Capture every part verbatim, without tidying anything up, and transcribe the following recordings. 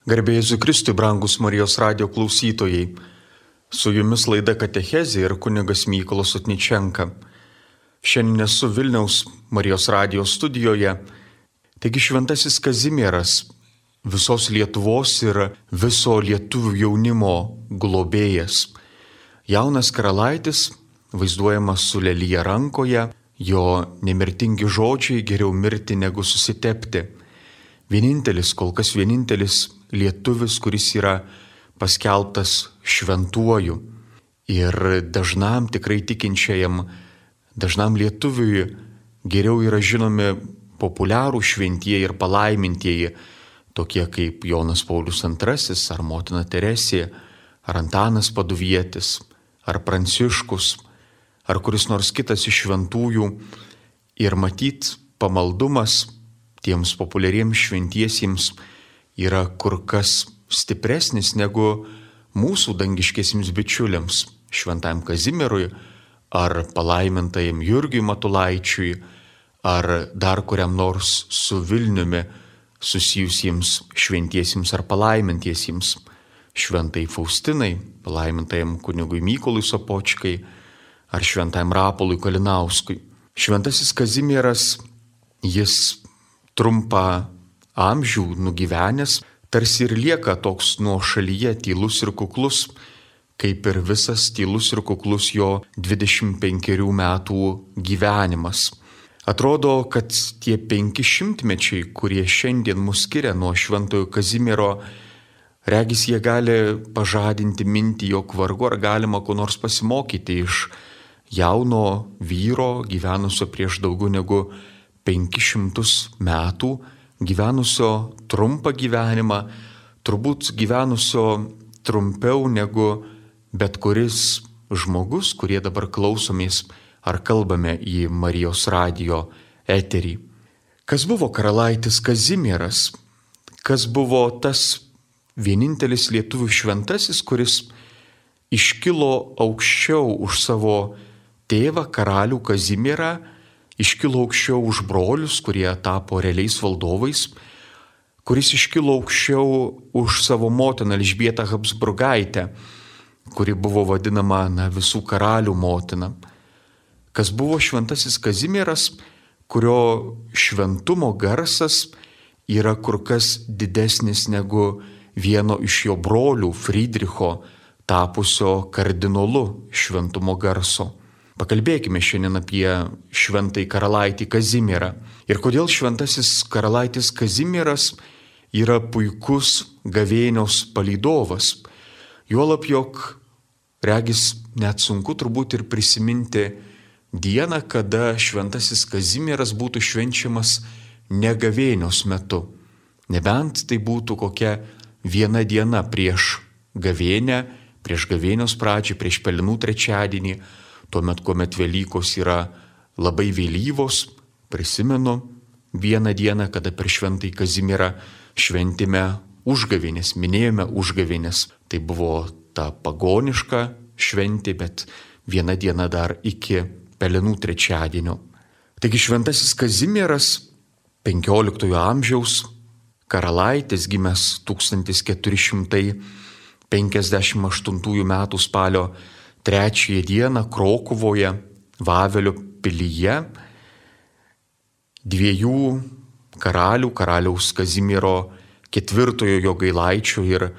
Garbė Jėzui Kristui, brangus Marijos radijo klausytojai. Su jumis laida Katechezė ir kunigas Mykolas Sotničenka. Šiandien esu Vilniaus Marijos radijo studijoje. Taigi šventasis Kazimieras, visos Lietuvos ir viso lietuvių jaunimo globėjas. Jaunas karalaitis, vaizduojamas su lelija rankoje, jo nemirtingi žodžiai geriau mirti negu susitepti. Vienintelis, kol kas vienintelis lietuvis, kuris yra paskelbtas šventuoju. Ir dažnam tikrai tikinčiajam, dažnam lietuviui geriau yra žinomi populiarų šventieji ir palaimintieji, tokie kaip Jonas Paulius antrasis, ar motina Teresė, ar Antanas Paduvietis, ar Pranciškus, ar kuris nors kitas iš šventųjų. Ir matyt, pamaldumas tiems populiariems šventiesiems yra kur kas stipresnis negu mūsų dangiškiesiems bičiuliams, šventajam Kazimierui, ar palaimintajam Jurgiui Matulaičiui, ar dar kuriam nors su Vilniumi susijusiems šventiesiems ar palaimintiesiems, šventai Faustinai, palaimintajam kunigui Mykolui Sopočkai, ar šventajam Rapolui Kalinauskui. Šventasis Kazimieras, jis trumpą amžių nugyvenęs, tarsi ir lieka toks nuošalyje, tylus ir kuklus, kaip ir visas tylus ir kuklus jo dvidešimt penkerių metų gyvenimas. Atrodo, kad tie penki šimtmečiai, kurie šiandien mus skiria nuo šventojo Kazimiero, regis jie gali pažadinti mintį, jog vargu ar galima ko nors pasimokyti iš jauno vyro, gyvenusio prieš daugiau negu penkis šimtus metų, gyvenusio trumpą gyvenimą, turbūt gyvenusio trumpiau negu bet kuris žmogus, kurie dabar klausomės ar kalbame į Marijos radijo eterį. Kas buvo karalaitis Kazimieras? Kas buvo tas vienintelis lietuvių šventasis, kuris iškilo aukščiau už savo tėvą karalių Kazimierą, iškilo aukščiau už brolius, kurie tapo realiais valdovais, kuris iškilo aukščiau už savo motiną Elžbietą Habsburgaitę, kuri buvo vadinama na, visų karalių motina. Kas buvo šventasis Kazimieras, kurio šventumo garsas yra kur kas didesnis negu vieno iš jo brolių Friedricho tapusio kardinolu šventumo garso. Pakalbėkime šiandien apie šventąjį karalaitį Kazimierą. Ir kodėl šventasis karalaitis Kazimieras yra puikus gavėnios palydovas. Juolab, jog regis net sunku turbūt ir prisiminti dieną, kada šventasis Kazimieras būtų švenčiamas ne gavėnios metu. Nebent tai būtų kokia viena diena prieš gavėnę, prieš gavėnios pradžią, prieš Pelenų trečiadienį, tuomet, kuomet Velykos yra labai vėlyvos. Prisimenu vieną dieną, kada per šventąjį Kazimierą šventėme užgavėnės, minėjome užgavėnės. Tai buvo ta pagoniška šventė, bet viena diena dar iki Pelenų trečiadienio. Taigi šventasis Kazimieras, penkioliktojo amžiaus karalaitis, gimęs tūkstantis keturi šimtai penkiasdešimt aštuntųjų metų spalio trečiąją dieną Krokuvoje, Vavelio pilyje, dviejų karalių, karaliaus Kazimiero ketvirtojo Jogailaičio ir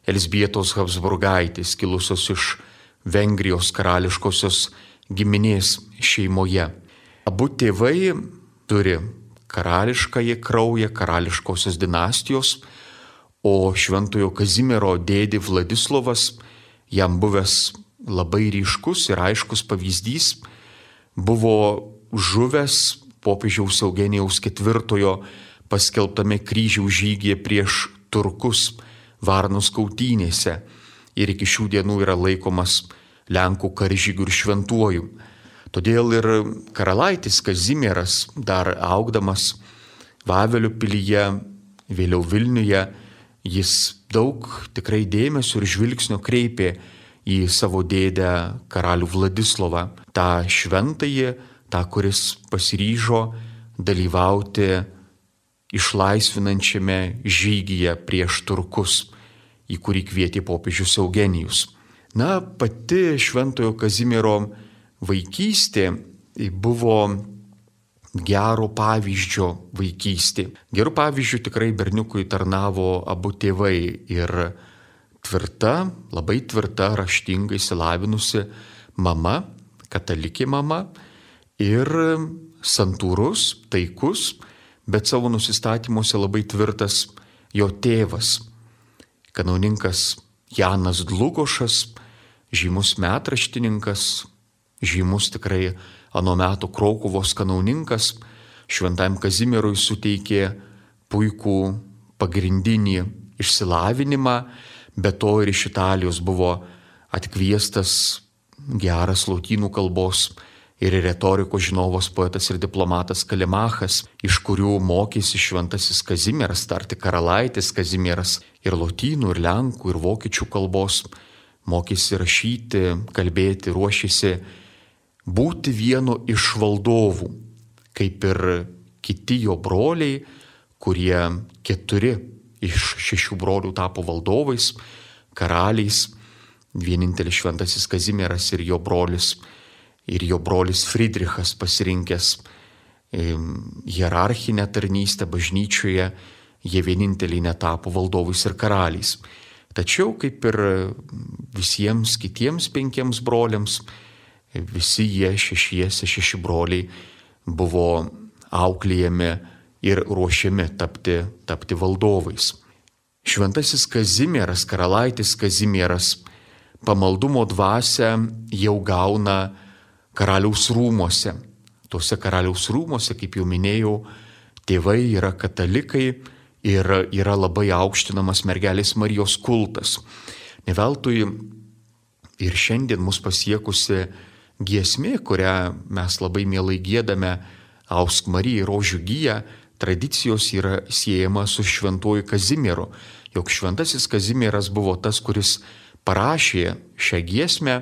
Elzbietos Habsburgaitės, kilusios iš Vengrijos karališkosios giminės šeimoje. Abu tėvai turi karališkąjį kraują, karališkosios dinastijos, o šventojo Kazimiero dėdė Vladislovas, jam buvęs labai ryškus ir aiškus pavyzdys, buvo žuvęs popiežiaus Eugenijaus ketvirtojo paskelbtame kryžiaus žygyje prieš turkus Varnos kautynėse ir iki šių dienų yra laikomas Lenkų karžygių ir šventuoju. Todėl ir karalaitis Kazimieras, dar augdamas Vavelio pilyje, vėliau Vilniuje, jis daug tikrai dėmesio ir žvilgsnio kreipė į savo dėdę karalių Vladislovą, tą šventąjį, tą, kuris pasiryžo dalyvauti išlaisvinančiame žygyje prieš turkus, į kurį kvietė popiežius Eugenijus. Na, pati Šventojo Kazimiero vaikystė buvo gero pavyzdžio vaikystė. Gerų pavyzdžių tikrai berniukui tarnavo abu tėvai ir tvirta, labai tvirta, raštingai išsilavinusi mama, katalikė mama ir santūrus, taikus, bet savo nusistatymuose labai tvirtas jo tėvas, kanauninkas Janas Dlugošas, žymus metraštininkas, žymus tikrai ano meto Kraukuvos kanauninkas, Šventajam Kazimierui suteikė puikų pagrindinį išsilavinimą, be to ir iš Italijos buvo atkviestas geras lotynų kalbos ir retorikos žinovas poetas ir diplomatas Kalimachas, iš kurių mokėsi Šventasis Kazimieras, tarti karalaitis Kazimieras ir lotynų, ir lenkų, ir vokiečių kalbos, mokėsi rašyti, kalbėti, ruošėsi būti vienu iš valdovų, kaip ir kiti jo broliai, kurie keturi iš šešių brolių tapo valdovais, karaliais, vienintelis Šventasis Kazimieras ir jo brolis, ir jo brolis Friedrichas pasirinkęs hierarchinę tarnystę bažnyčioje, jie vieninteliai netapo valdovais ir karaliais. Tačiau, kaip ir visiems kitiems penkiems broliams, visi jie šešiese, šeši broliai buvo auklėjami ir ruošiami tapti, tapti valdovais. Šventasis Kazimieras, karalaitis Kazimieras, pamaldumo dvasią jau gauna karaliaus rūmuose. Tuose karaliaus rūmuose, kaip jau minėjau, tėvai yra katalikai ir yra labai aukštinamas mergelės Marijos kultas. Neveltui ir šiandien mus pasiekusi giesmė, kurią mes labai mielai giedame, Ausk Marijai rožių giją, tradicijos yra siejama su Šventuoju Kazimieru, jog Šventasis Kazimieras buvo tas, kuris parašė šią giesmę.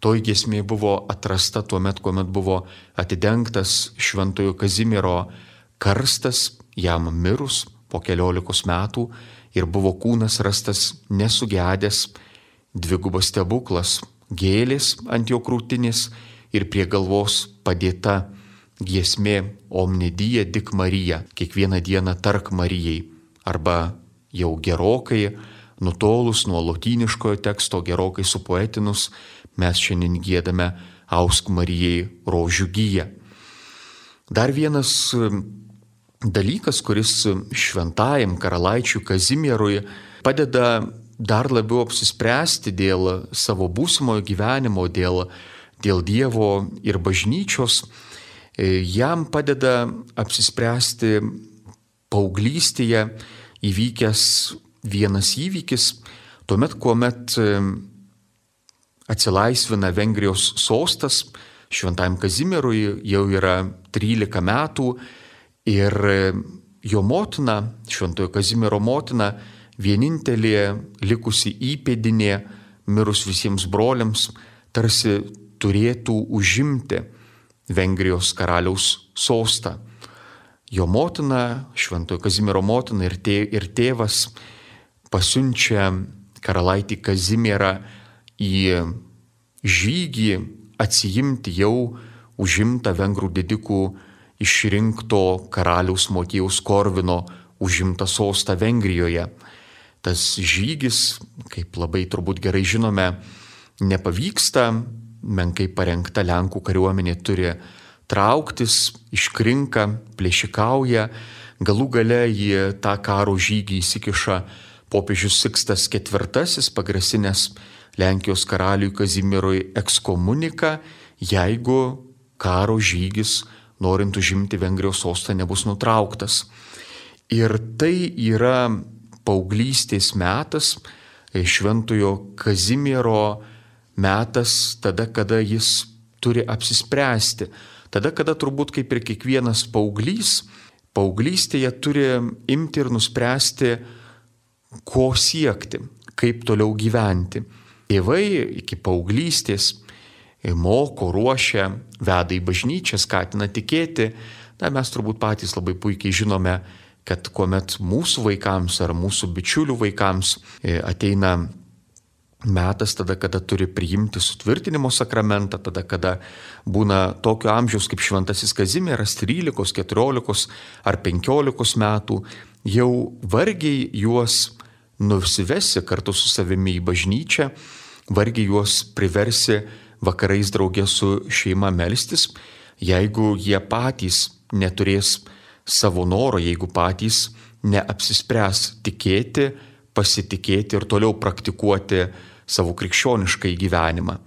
Toji giesmė buvo atrasta tuo met, kuomet buvo atidengtas Šventojo Kazimiero karstas, jam mirus po keliolikos metų, ir buvo kūnas rastas nesugedęs, dvigubas stebuklas, gėlės ant jo krūtinės ir prie galvos padėta giesmė Omne die dik Marija, kiekvieną dieną tark Marijai, arba jau gerokai nutolus nuo lotyniškojo teksto, gerokai supoetinus, mes šiandien giedame Ausk Marijai rožių giją. Dar vienas dalykas, kuris šventajam karalaičiui Kazimierui padeda dar labiau apsispręsti dėl savo būsimojo gyvenimo, dėl, dėl Dievo ir bažnyčios, jam padeda apsispręsti paauglystėje įvykęs vienas įvykis, tuomet, kuomet atsilaisvina Vengrijos sostas, Šventajam Kazimierui jau yra trylika metų ir jo motina, Šventojo Kazimiero motina, vienintelė likusi įpėdinė, mirus visiems broliams, tarsi turėtų užimti Vengrijos karaliaus sostą. Jo motina, Šventojo Kazimiero motina ir, tė, ir tėvas pasiunčia karalaitį Kazimierą į žygį atsiimti jau užimtą vengrų didikų išrinkto karaliaus Motiejaus Korvino užimtą sostą Vengrijoje. Tas žygis, kaip labai turbūt gerai žinome, nepavyksta, menkai parengta Lenkų kariuomenė turi trauktis, iškrinka, plėšikauja, galų gale į tą karo žygį įsikiša popiežius Sikstas ketvirtasis, pagrasinęs Lenkijos karaliui Kazimierui ekskomuniką, jeigu karo žygis, norint užimti Vengrijos sostą, nebus nutrauktas. Ir tai yra paauglystės metas, Šventojo Kazimiero metas, tada, kada jis turi apsispręsti. Tada, kada turbūt kaip ir kiekvienas paauglys, paauglystėje turi imti ir nuspręsti, ko siekti, kaip toliau gyventi. Tėvai iki paauglystės moko, ruošia, veda į bažnyčią, skatina tikėti. Na, mes turbūt patys labai puikiai žinome, kad kuomet mūsų vaikams ar mūsų bičiulių vaikams ateina metas tada, kada turi priimti sutvirtinimo sakramentą, tada, kada būna tokio amžiaus kaip šventasis Kazimieras, trylikos, keturiolikos ar penkiolikos metų, jau vargiai juos nusivesi kartu su savimi į bažnyčią, vargiai juos priversi vakarais draugė su šeima melstis, jeigu jie patys neturės savo noro, jeigu patys neapsispręs tikėti, pasitikėti ir toliau praktikuoti savo krikščioniškai gyvenimą.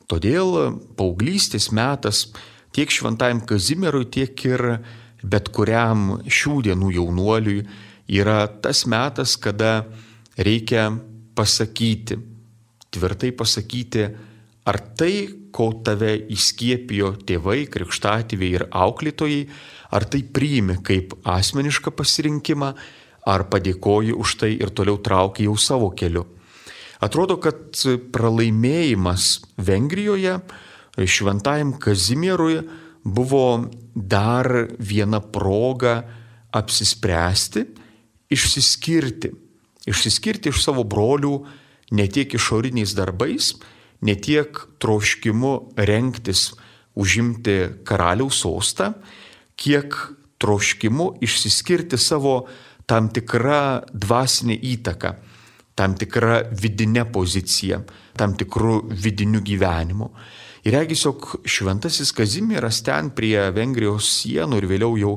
Todėl paauglystės metas tiek šventajam Kazimierui, tiek ir bet kuriam šių dienų jaunuoliui yra tas metas, kada reikia pasakyti, tvirtai pasakyti, ar tai, ko tave įskiepijo tėvai, krikštatėviai ir auklėtojai, ar tai priimi kaip asmenišką pasirinkimą, ar padėkoji už tai ir toliau trauki jau savo keliu. Atrodo, kad pralaimėjimas Vengrijoje šventajam Kazimierui buvo dar viena proga apsispręsti, išsiskirti. Išsiskirti iš savo brolių ne tiek išoriniais darbais, ne tiek troškimu rengtis užimti karaliaus sostą, kiek troškimu išsiskirti savo tam tikrą dvasinę įtaką, tam tikrą vidinę poziciją, tam tikrų vidinių gyvenimų. Ir regis, jog šventasis Kazimieras ten prie Vengrijos sienų ir vėliau jau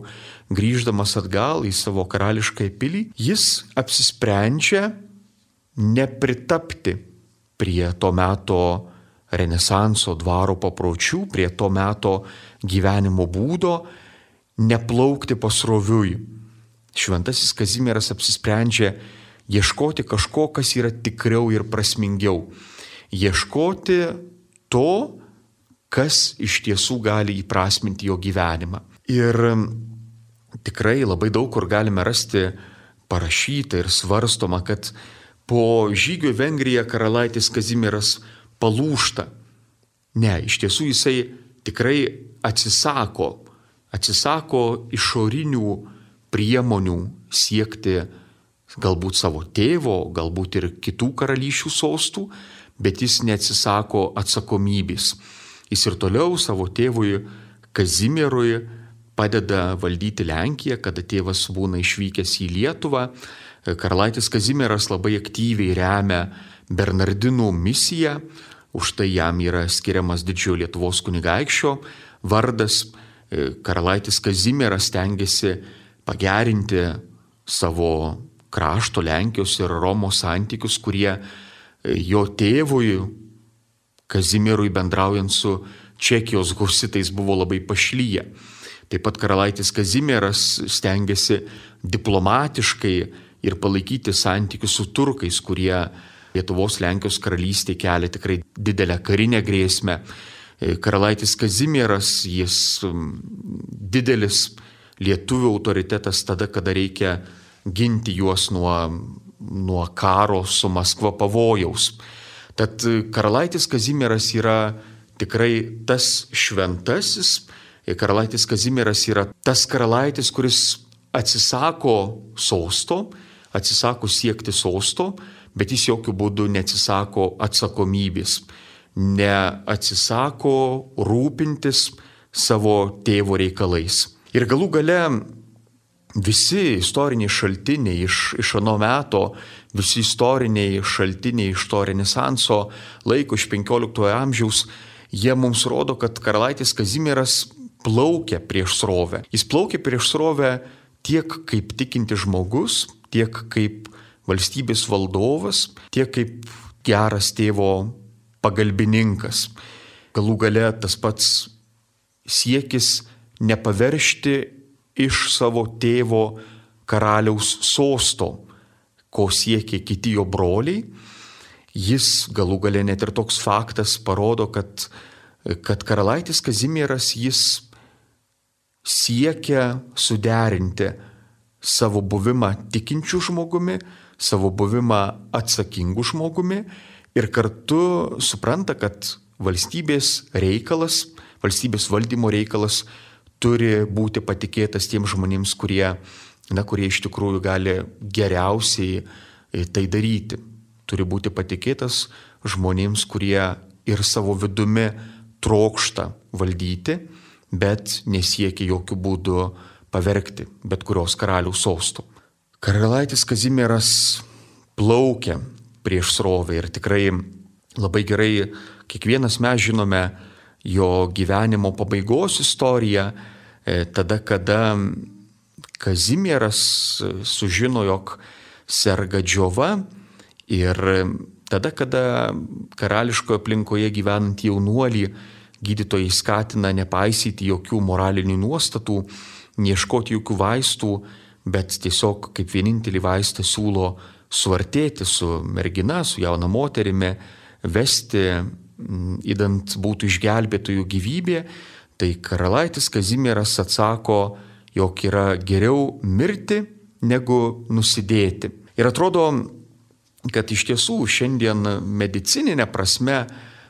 grįždamas atgal į savo karališką pilį, jis apsisprendžia nepritapti prie to meto Renesanso dvaro papročių, prie to meto gyvenimo būdo, neplaukti pasroviui. Šventasis Kazimieras apsisprendžia ieškoti kažko, kas yra tikriau ir prasmingiau. Ieškoti to, kas iš tiesų gali įprasminti jo gyvenimą. Ir tikrai labai daug kur galime rasti parašyta ir svarstoma, kad po žygio į Vengriją karalaitis Kazimieras palūžta. Ne, iš tiesų jisai tikrai atsisako, atsisako išorinių priemonių siekti galbūt savo tėvo, galbūt ir kitų karalysčių sostų, bet jis neatsisako atsakomybės. Jis ir toliau savo tėvui Kazimierui padeda valdyti Lenkiją, kada tėvas būna išvykęs į Lietuvą. Karalaitis Kazimieras labai aktyviai remia Bernardinų misiją, už tai jam yra skiriamas didžiojo Lietuvos kunigaikščio vardas. Karalaitis Kazimieras stengiasi pagerinti savo krašto Lenkijos ir Romos santykius, kurie jo tėvui Kazimierui bendraujant su Čekijos husitais buvo labai pašlyję. Taip pat karalaitis Kazimieras stengiasi diplomatiškai ir palaikyti santykius su turkais, kurie Lietuvos Lenkijos karalystė kelia tikrai didelę karinę grėsmę. Karalaitis Kazimieras, jis didelis lietuvių autoritetas tada, kada reikia ginti juos nuo, nuo karo su Maskva pavojaus. Tad karalaitis Kazimieras yra tikrai tas šventasis, karalaitis Kazimieras yra tas karalaitis, kuris atsisako sosto, atsisako siekti sosto, bet jis jokių būdų neatsisako atsakomybės, neatsisako rūpintis savo tėvo reikalais. Ir galų gale visi istoriniai šaltiniai iš, iš ano meto, visi istoriniai šaltiniai iš to Renesanso laiko, iš penkioliktojo amžiaus, jie mums rodo, kad karalaitis Kazimieras plaukia prieš srovę. Jis plaukia prieš srovę tiek kaip tikinti žmogus, tiek kaip valstybės valdovas, tiek kaip geras tėvo pagalbininkas. Galų gale tas pats siekis nepaveršti iš savo tėvo karaliaus sosto, ko siekė kiti jo broliai. Jis galų gale net ir toks faktas parodo, kad, kad karalaitis Kazimieras jis siekia suderinti savo buvimą tikinčių žmogumi, savo buvimą atsakingų žmogumi ir kartu supranta, kad valstybės reikalas, valstybės valdymo reikalas turi būti patikėtas tiems žmonėms, kurie na, kurie iš tikrųjų gali geriausiai tai daryti. Turi būti patikėtas žmonėms, kurie ir savo vidumi trokšta valdyti, bet nesiekia jokių būdų pavergti bet kurios karaliaus sostų. Karalaitis Kazimieras plaukė prieš srovę ir tikrai labai gerai kiekvienas mes žinome jo gyvenimo pabaigos istoriją, tada, kada Kazimieras sužino, jog serga džiova, ir tada, kada karališkoje aplinkoje gyvenant jaunuolį gydytojai skatina nepaisyti jokių moralinių nuostatų, neieškoti jokių vaistų, bet tiesiog kaip vienintelį vaistą siūlo suartėti su mergina, su jauna moterimi, vesti, idant būtų išgelbėtojų gyvybė, tai karalaitis Kazimieras atsako, jog yra geriau mirti negu nusidėti. Ir atrodo, kad iš tiesų šiandien medicininė prasme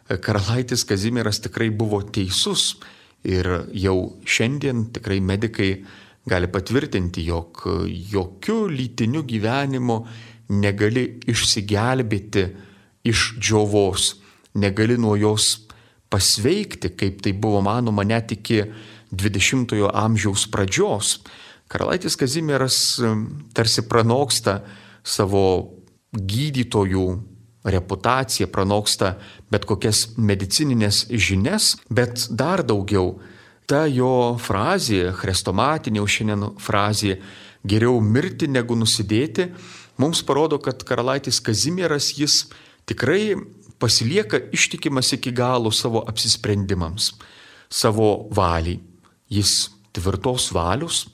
karalaitis Kazimieras tikrai buvo teisus ir jau šiandien tikrai medikai gali patvirtinti, jog jokių lytinių gyvenimo negali išsigelbėti iš džiovos, negali nuo jos pasveikti, kaip tai buvo manoma net iki dvidešimtojo amžiaus pradžios. Karalaitis Kazimieras tarsi pranoksta savo gydytojų reputaciją, pranoksta bet kokias medicininės žinias, bet dar daugiau ta jo frazė, chrestomatinė jau šiandien frazė, geriau mirti negu nusidėti, mums parodo, kad karalaitis Kazimieras jis tikrai pasilieka ištikimas iki galo savo apsisprendimams, savo valiai. Jis tvirtos valios,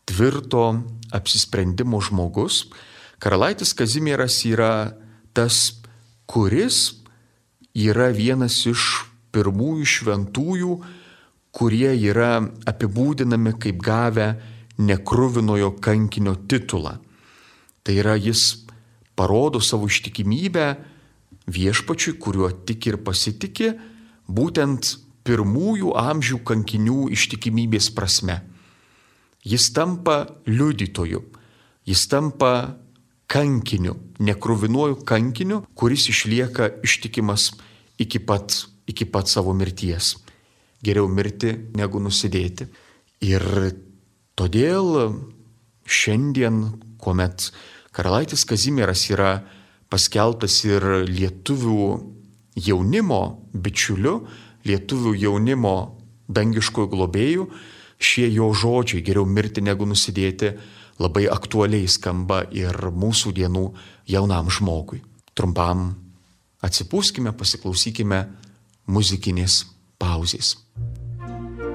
tvirto apsisprendimo žmogus. Karalaitis Kazimieras yra tas, kuris yra vienas iš pirmųjų šventųjų, kurie yra apibūdinami kaip gavę nekruvinojo kankinio titulą. Tai yra, jis parodo savo ištikimybę viešpačiui, kuriuo tiki ir pasitiki, būtent pirmųjų amžių kankinių ištikimybės prasme. Jis tampa liudytoju, jis tampa kankiniu, nekruvinuoju kankiniu, kuris išlieka ištikimas iki pat, iki pat savo mirties. Geriau mirti negu nusidėti. Ir todėl šiandien, kuomet karalaitis Kazimieras yra paskelbtas ir lietuvių jaunimo bičiuliu, lietuvių jaunimo dangiškojų globėjų, šie jo žodžiai geriau mirti negu nusidėti labai aktualiai skamba ir mūsų dienų jaunam žmogui. Trumpam atsipūskime, pasiklausykime muzikinės pauzės. Thank you.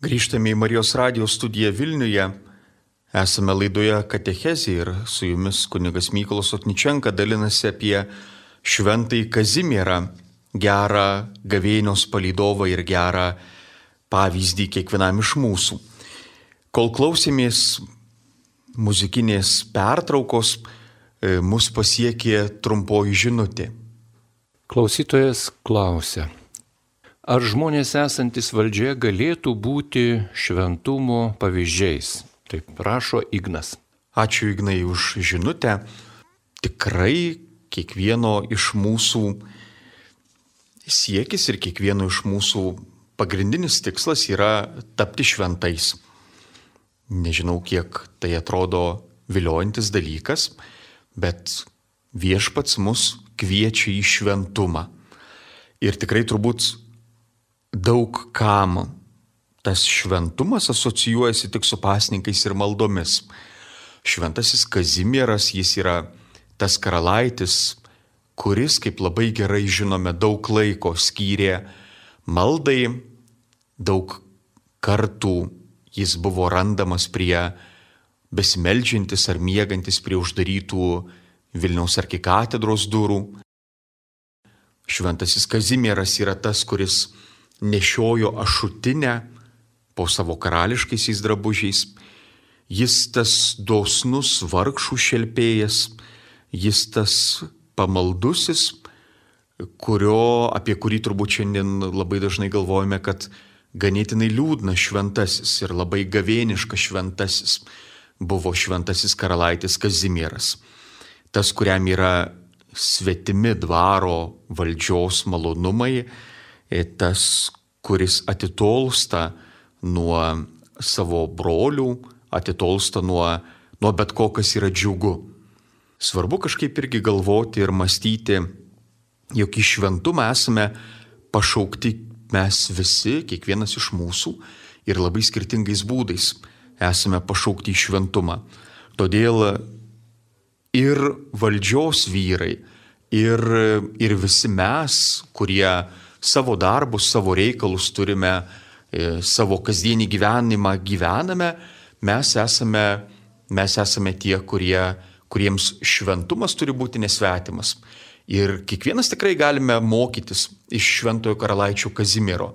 Grįžtame į Marijos radijo studiją Vilniuje. Esame laidoje Katechezė ir su jumis kunigas Mykolas Sotničenka dalinasi apie šventąjį Kazimierą, gerą gavėnios palydovą ir gerą pavyzdį kiekvienam iš mūsų. Kol klausėmės muzikinės pertraukos, mus pasiekė trumpoji žinutė. Klausytojas klausia, ar žmonės esantis valdžioje galėtų būti šventumo pavyzdžiais? Taip rašo Ignas. Ačiū Ignai už žinutę. Tikrai kiekvieno iš mūsų siekis ir kiekvieno iš mūsų pagrindinis tikslas yra tapti šventais. Nežinau, kiek tai atrodo viliojantis dalykas, bet viešpats mus kviečia į šventumą. Ir tikrai turbūt daug kam tas šventumas asocijuojasi tik su pasninkais ir maldomis. Šventasis Kazimieras, jis yra tas karalaitis, kuris, kaip labai gerai žinome, daug laiko skyrė maldai, daug kartų jis buvo randamas prie besimeldžiantis ar miegantis prie uždarytų Vilniaus arkikatedros durų. Šventasis Kazimieras yra tas, kuris nešiojo ašutinę po savo karališkaisiais drabužiais. Jis tas dosnus vargšų šelpėjas, jis tas pamaldusis, kurio, apie kurį turbūt šiandien labai dažnai galvojame, kad ganėtinai liūdnas šventasis ir labai gavėniškas šventasis buvo šventasis karalaitis Kazimieras. Tas, kuriam yra svetimi dvaro valdžios malonumai, tas, kuris atitolsta nuo savo brolių, atitolsta nuo, nuo bet ko, kas yra džiugu. Svarbu kažkaip irgi galvoti ir mąstyti, jog į šventumą esame pašaukti mes visi, kiekvienas iš mūsų, ir labai skirtingais būdais esame pašaukti į šventumą. Todėl ir valdžios vyrai, ir, ir visi mes, kurie savo darbus, savo reikalus turime, savo kasdienį gyvenimą gyvename, mes esame, mes esame tie, kurie, kuriems šventumas turi būti nesvetimas. Ir kiekvienas tikrai galime mokytis iš šventojo karalaičio Kazimiero.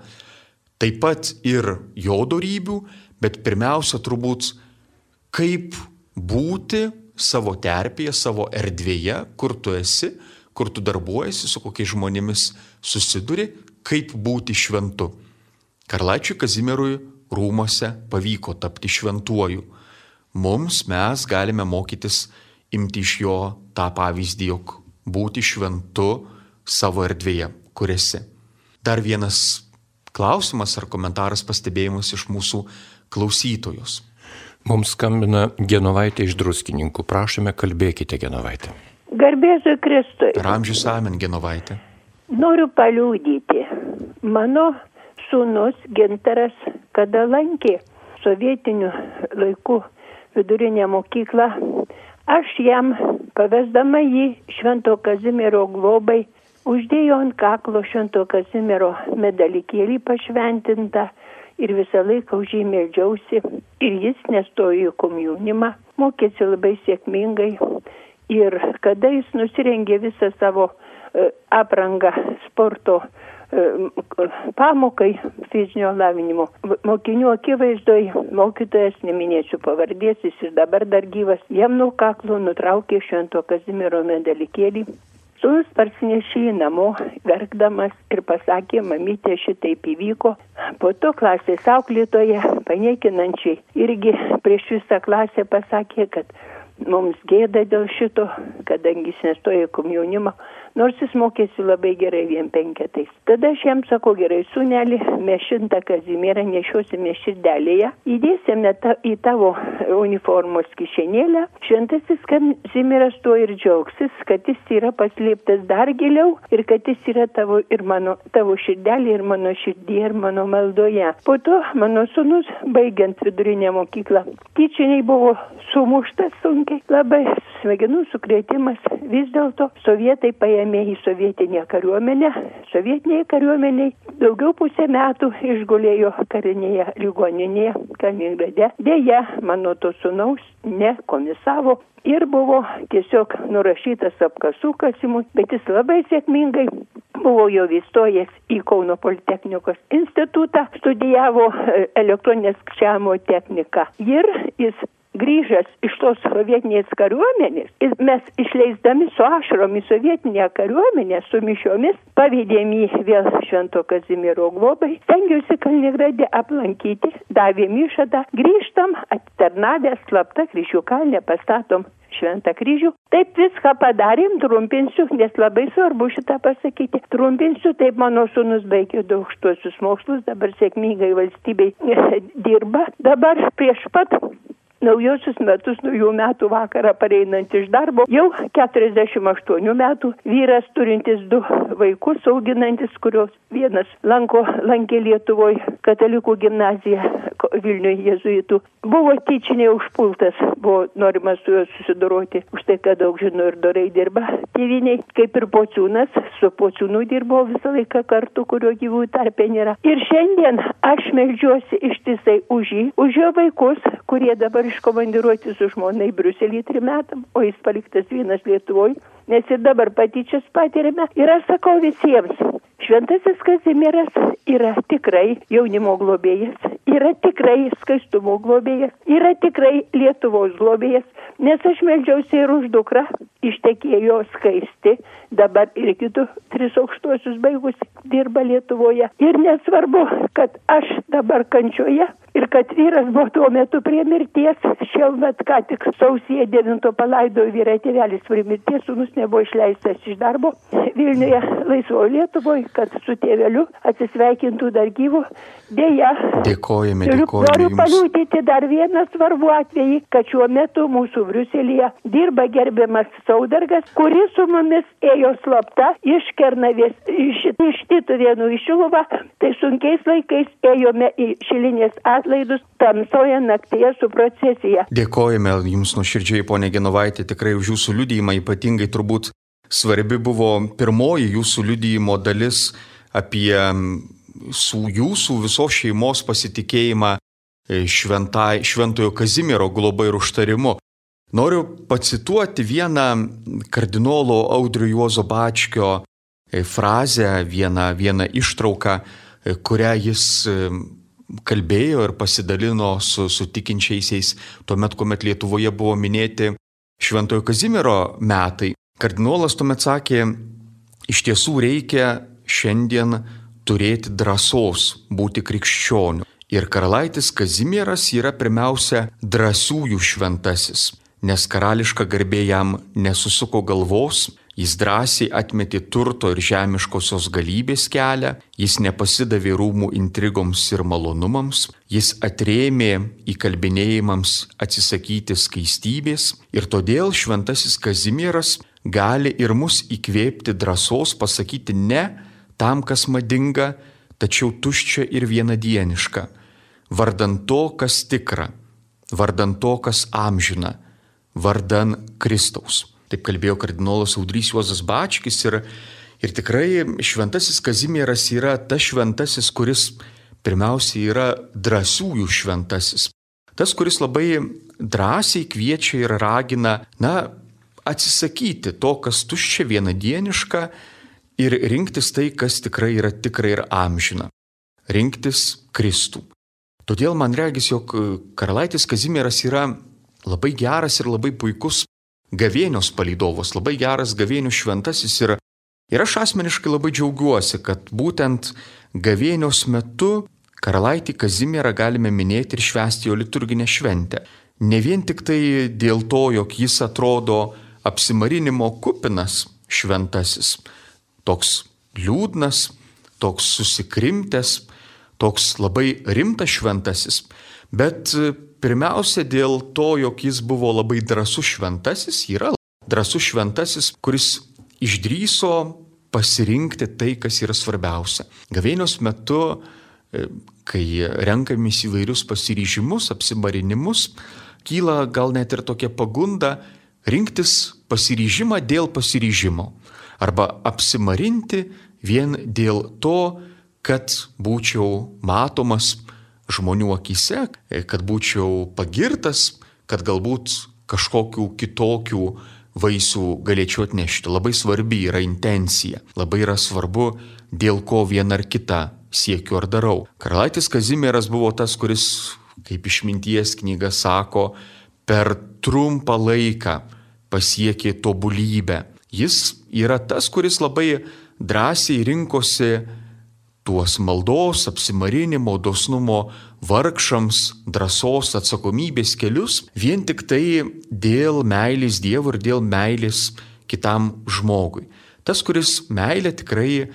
Taip pat ir jo dorybių, bet pirmiausia turbūt, kaip būti savo terpėje, savo erdvėje, kur tu esi, kur tu darbuojasi, su kokiais žmonėmis susiduri, kaip būti šventu. Karalaičiui Kazimierui rūmose pavyko tapti šventuoju. Mums mes galime mokytis imti iš jo tą pavyzdį, jog būti šventu savo erdvėje, kur esi. Dar vienas klausimas ar komentaras, pastebėjimas iš mūsų klausytojos. Mums skambina Genovaitė iš Druskininkų. Prašome, kalbėkite, Genovaitė. Garbėzui Kristui. Per amžius amen, Genovaitė. Noriu paliūdyti. Mano sūnus Gintaras, kada lankė sovietinių laikų vidurinę mokyklą, aš jam, pavesdama jį Švento Kazimiero globai, uždėjo ant kaklo Švento Kazimiero medalikėlį pašventintą ir visą laiką už jį meldžiausi. Ir jis nestojo į komjaunimą, mokėsi labai sėkmingai. Ir kada jis nusirengė visą savo e, aprangą sporto e, pamokai fizinio lavinimo, mokinių akivaizdoj, mokytojas, neminėsiu pavardės, jis ir dabar dar gyvas, jam nuo kaklo nutraukė Švento Kazimiero medalikėlį. Sūnus parsinešė į namo, verkdamas, ir pasakė, mamytė, šitaip įvyko. Po to klasės auklėtoja, paniekinančiai, irgi prieš visą klasę pasakė, kad mums gėda dėl šito, kadangi jis nestojo į komjaunimą, nors jis mokėsi labai gerai vien penketais. Tada aš jam sakau, gerai, sūneli, mes šimtą Kazimierą nešiosime širdelėje, įdėsime ta, į tavo uniformos kišenėlę. Šventasis Kazimieras tuo ir džiaugsis, kad jis yra paslėptas dar giliau ir kad jis yra tavo ir mano, tavo širdelė ir mano širdėje ir mano maldoje. Po to mano sūnus, baigiant vidurinę mokyklą, tyčiniai buvo sumuštas sunkiai, labai smegenų sukrėtimas. Vis dėlto sovietai paėmė paėmė į sovietinę kariuomenę. Sovietiniai kariuomeniai daugiau pusę metų išgulėjo karinėje ligoninėje Kaliningrade. Deja, mano to sūnaus nekomisavo ir buvo tiesiog nurašytas apkasų kasimui, bet jis labai sėkmingai buvo jau įstojęs į Kauno Politechnikos institutą, studijavo elektroninės skaičiavimo techniką ir jis grįžęs iš tos sovietinės kariuomenės ir mes išleisdami su ašarom į sovietinę kariuomenę su mišiomis pavedėm jį vėl Švento Kazimiero globai, stengiausi Kaliningrade aplankyti, davėm išadą, grįžtam, atitarnavę slapta Kryžių kalne, pastatom Šventą kryžių. Taip viską padarėm, trumpinsiu, nes labai svarbu šitą pasakyti. Trumpinsiu, taip mano sūnus baigė du aukštuosius mokslus, dabar sėkmingai valstybei dirba. Dabar prieš pat naujosius metus, naujų metų vakarą pareinant iš darbo, jau keturiasdešimt aštuonių metų, vyras turintis du vaikus auginantis, kurios vienas lanko, lankė Lietuvoje katalikų gimnaziją Vilniuje jėzuitų. Buvo tyčiniai užpultas, buvo norima su juo susidoroti, už tai, kad daug žino ir dorai dirba tėviniai, kaip ir Pociūnas, su Pociūnu dirbo visą laiką kartu, kurio gyvųjų tarpe nėra. Ir šiandien aš meldžiuosi ištisai už jį, už jo vaikus, kurie dabar iškomandiruoti su žmona į Briuselį trim metam, o jis paliktas vienas Lietuvoje, nes ir dabar patyčias patiriame. Ir aš sakau visiems, Šventasis Kazimieras yra tikrai jaunimo globėjas, yra tikrai skaistumo globėjas, yra tikrai Lietuvos globėjas, nes aš meldžiausi ir už dukrą, ištekėjo Skaisti, dabar ir kitų tris aukštuosius baigus dirba Lietuvoje. Ir nesvarbu, kad aš dabar kančioje ir kad vyras buvo tuo metu prie mirties, šiemet ką tik sausio devinto palaidojo vyrą, tėvelis prie mirties, sūnus nebuvo išleistas iš darbo Vilniuje, laisvoje Lietuvoje, kad su tėveliu atsisveikintų dar gyvu. Deja, dėkojame, turiu, dėkojame noriu jums. paliūdyti dar vieną svarbų atvejį, kad šiuo metu mūsų Briuselyje dirba gerbiamas Saudargas, kuris su mumis ėjo slapta iš Kernavės, iš, iš Tytuvėnų į Šiluvą, tai sunkiais laikais ėjome į Šilinės atlaidus tamsoje naktyje su procesija. Dėkojame jums nuoširdžiai, ponė Genovaitė, tikrai už jūsų liudijimą, ypatingai turbūt svarbi buvo pirmoji jūsų liudijimo dalis apie su jūsų visos šeimos pasitikėjimą šventai, Šventojo Kazimiero globa ir užtarimu. Noriu pacituoti vieną kardinolo Audrio Juozo Bačkio frazę, vieną, vieną ištrauką, kurią jis kalbėjo ir pasidalino su, su tikinčiaisiais tuomet, kuomet Lietuvoje buvo minėti Šventojo Kazimiero metai. Kardinolas tuomet sakė, iš tiesų reikia šiandien turėti drąsos būti krikščioniu. Ir karalaitis Kazimieras yra pirmiausia drąsiųjų šventasis, nes karališka garbė jam nesusuko galvos, jis drąsiai atmetė turto ir žemiškosios galybės kelią, jis nepasidavė rūmų intrigoms ir malonumams, jis atrėmė įkalbinėjimams atsisakyti skaistybės ir todėl šventasis Kazimieras gali ir mus įkvėpti drąsos pasakyti ne tam, kas madinga, tačiau tuščia ir vienadieniška, vardan to, kas tikra, vardan to, kas amžina, vardan Kristaus. Taip kalbėjo kardinolas Audrys Juozas Bačkis ir, ir tikrai šventasis Kazimieras yra tas šventasis, kuris pirmiausiai yra drąsiųjų šventasis. Tas, kuris labai drąsiai kviečia ir ragina, na, atsisakyti to, kas tuščia vienadieniška ir rinktis tai, kas tikrai yra tikra ir amžina. Rinktis Kristų. Todėl man regis, jog karalaitis Kazimieras yra labai geras ir labai puikus gavėnios palydovas, labai geras gavėnių šventasis ir, ir aš asmeniškai labai džiaugiuosi, kad būtent gavėnios metu karalaitį Kazimierą galime minėti ir švęsti jo liturginę šventę. Ne vien tik tai dėl to, jog jis atrodo apsimarinimo kupinas šventasis, toks liūdnas, toks susikrimtęs, toks labai rimtas šventasis, bet pirmiausia dėl to, jog jis buvo labai drąsus šventasis, yra drąsus šventasis, kuris išdrįso pasirinkti tai, kas yra svarbiausia. Gavėnios metu, kai renkamės įvairius pasiryžimus, apsimarinimus, kyla gal net ir tokia pagunda rinktis pasiryžimą dėl pasiryžimo. arba apsimarinti vien dėl to, kad būčiau matomas žmonių akyse, kad būčiau pagirtas, kad galbūt kažkokių kitokių vaisių galėčiau atnešti. Labai svarbi yra intencija, labai yra svarbu, dėl ko vieną ar kitą siekiu ar darau. Karalaitis Kazimieras buvo tas, kuris, kaip Išminties knyga sako, per trumpą laiką pasiekė tobulybę. Jis yra tas, kuris labai drąsiai rinkosi tuos maldos, apsimarinimo, dosnumo vargšams, drąsos, atsakomybės kelius, vien tik tai dėl meilės Dievui ir dėl meilės kitam žmogui. Tas, kuris meilę tikrai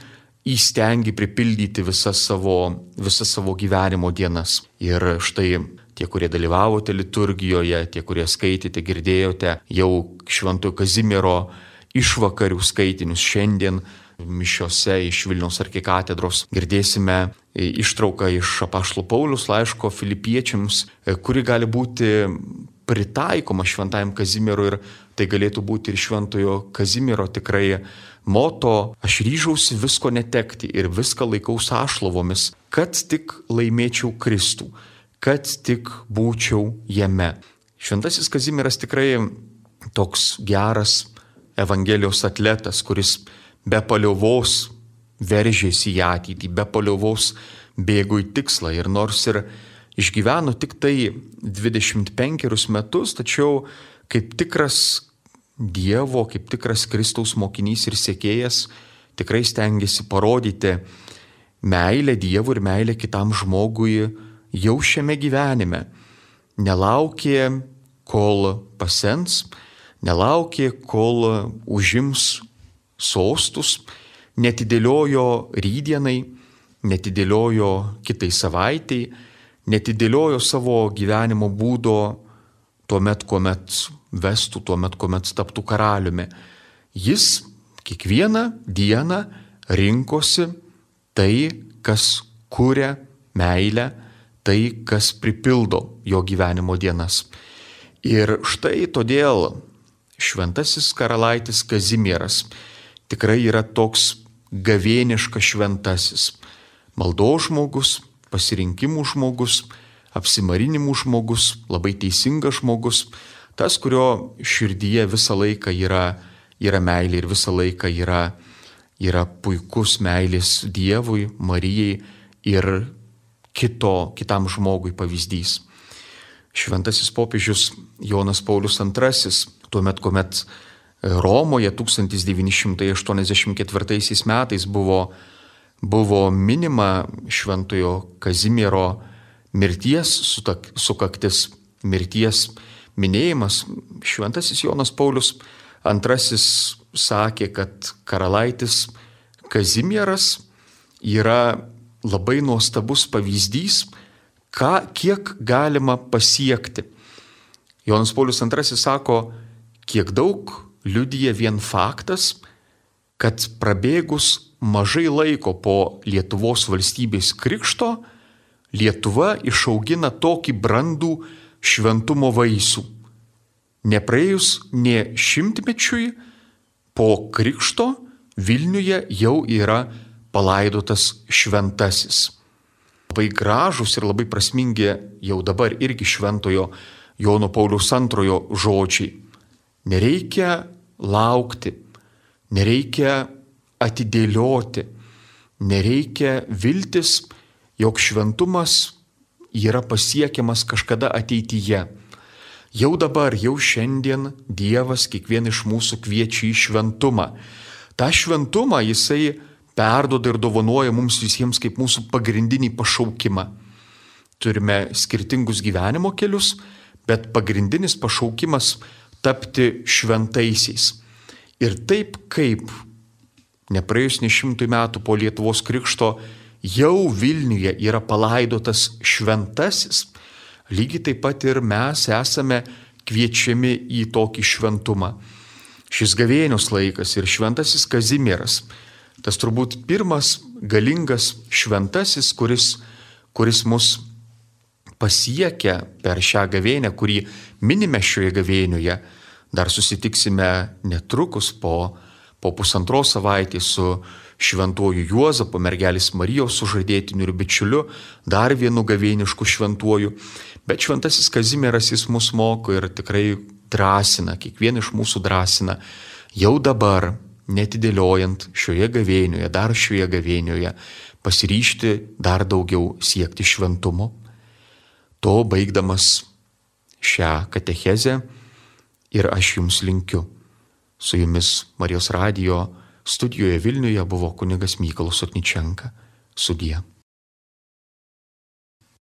įstengi pripildyti visas savo, visas savo gyvenimo dienas. Ir štai tie, kurie dalyvavote liturgijoje, tie, kurie skaitėte, girdėjote jau Šventojo Kazimiero išvakarių skaitinius šiandien mišiose iš Vilniaus arkikatedros, girdėsime ištrauką iš apaštalo Pauliaus laiško Filipiečiams, kuri gali būti pritaikoma Šventajam Kazimierui, ir tai galėtų būti ir Šventojo Kazimiero tikrai moto: aš ryžausi visko netekti ir viską laikau sąšlavomis, kad tik laimėčiau Kristų, kad tik būčiau jame. Šventasis Kazimieras tikrai toks geras Evangelijos atletas, kuris be paliovos veržėsi į ateitį, be paliovos bėgo į tikslą. Ir nors ir išgyveno tik tai dvidešimt penkerius metus, tačiau kaip tikras Dievo, kaip tikras Kristaus mokinys ir sekėjas, tikrai stengiasi parodyti meilę Dievui ir meilę kitam žmogui jau šiame gyvenime. Nelaukė, kol pasens, nelaukė, kol užims sostus, netidėliojo rytdienai, netidėliojo kitai savaitai, netidėliojo savo gyvenimo būdo tuomet, kuomet vestų, tuomet, kuomet taptų karaliumi. Jis kiekvieną dieną rinkosi tai, kas kuria meilę, tai, kas pripildo jo gyvenimo dienas. Ir štai todėl šventasis karalaitis Kazimieras tikrai yra toks gavėniškas šventasis, maldos žmogus, pasirinkimų žmogus, apsimarinimų žmogus, labai teisingas žmogus, tas, kurio širdyje visą laiką yra, yra meilė ir visą laiką yra, yra puikus meilės Dievui, Marijai ir kito, kitam žmogui pavyzdys. Šventasis popiežius Jonas Paulius antrasis, tuomet, kuomet Romoje tūkstantis devyni šimtai aštuoniasdešimt ketvirtaisiais metais buvo, buvo minima Šventojo Kazimiero mirties sukaktis, mirties minėjimas. Šventasis Jonas Paulius antrasis sakė, kad karalaitis Kazimieras yra labai nuostabus pavyzdys, ką, kiek galima pasiekti. Jonas Paulius antrasis sako, kiek daug liudija vien faktas, kad prabėgus mažai laiko po Lietuvos valstybės krikšto, Lietuva išaugina tokį brandų šventumo vaisių. Nepraėjus nė šimtmečiui po krikšto Vilniuje jau yra palaidotas šventasis. Labai gražus ir labai prasmingi jau dabar irgi šventojo Jono Pauliaus antrojo žodžiai. Nereikia laukti, nereikia atidėlioti, nereikia viltis, jog šventumas yra pasiekiamas kažkada ateityje. Jau dabar, jau šiandien Dievas kiekvieną iš mūsų kviečia į šventumą. Ta šventumą jisai perduoda ir dovanoja mums visiems kaip mūsų pagrindinį pašaukimą. Turime skirtingus gyvenimo kelius, bet pagrindinis pašaukimas tapti šventaisiais. Ir taip kaip nepraėjus ne šimtui metų po Lietuvos krikšto jau Vilniuje yra palaidotas šventasis, lygiai taip pat ir mes esame kviečiami į tokį šventumą. Šis gavėnios laikas ir šventasis Kazimieras, tas turbūt pirmas galingas šventasis, kuris, kuris mus pasiekia per šią gavėnę, kurį minime šioje gavėnioje. Dar susitiksime netrukus po, po pusantros savaitės su šventuoju Juozapu, mergelės Marijos sužadėtiniu ir bičiuliu, dar vienu gavėnišku šventuoju. Bet šventasis Kazimieras jis mus moko ir tikrai drąsina, kiekvieną iš mūsų drąsina, jau dabar, netidėliojant šioje gavėnioje, dar šioje gavėnioje, pasiryžti dar daugiau siekti šventumo. To baigdamas šią katechezę ir aš jums linkiu. Su jumis Marijos radijo studijoje Vilniuje buvo kunigas Mykolas Sotničenka. Sudie.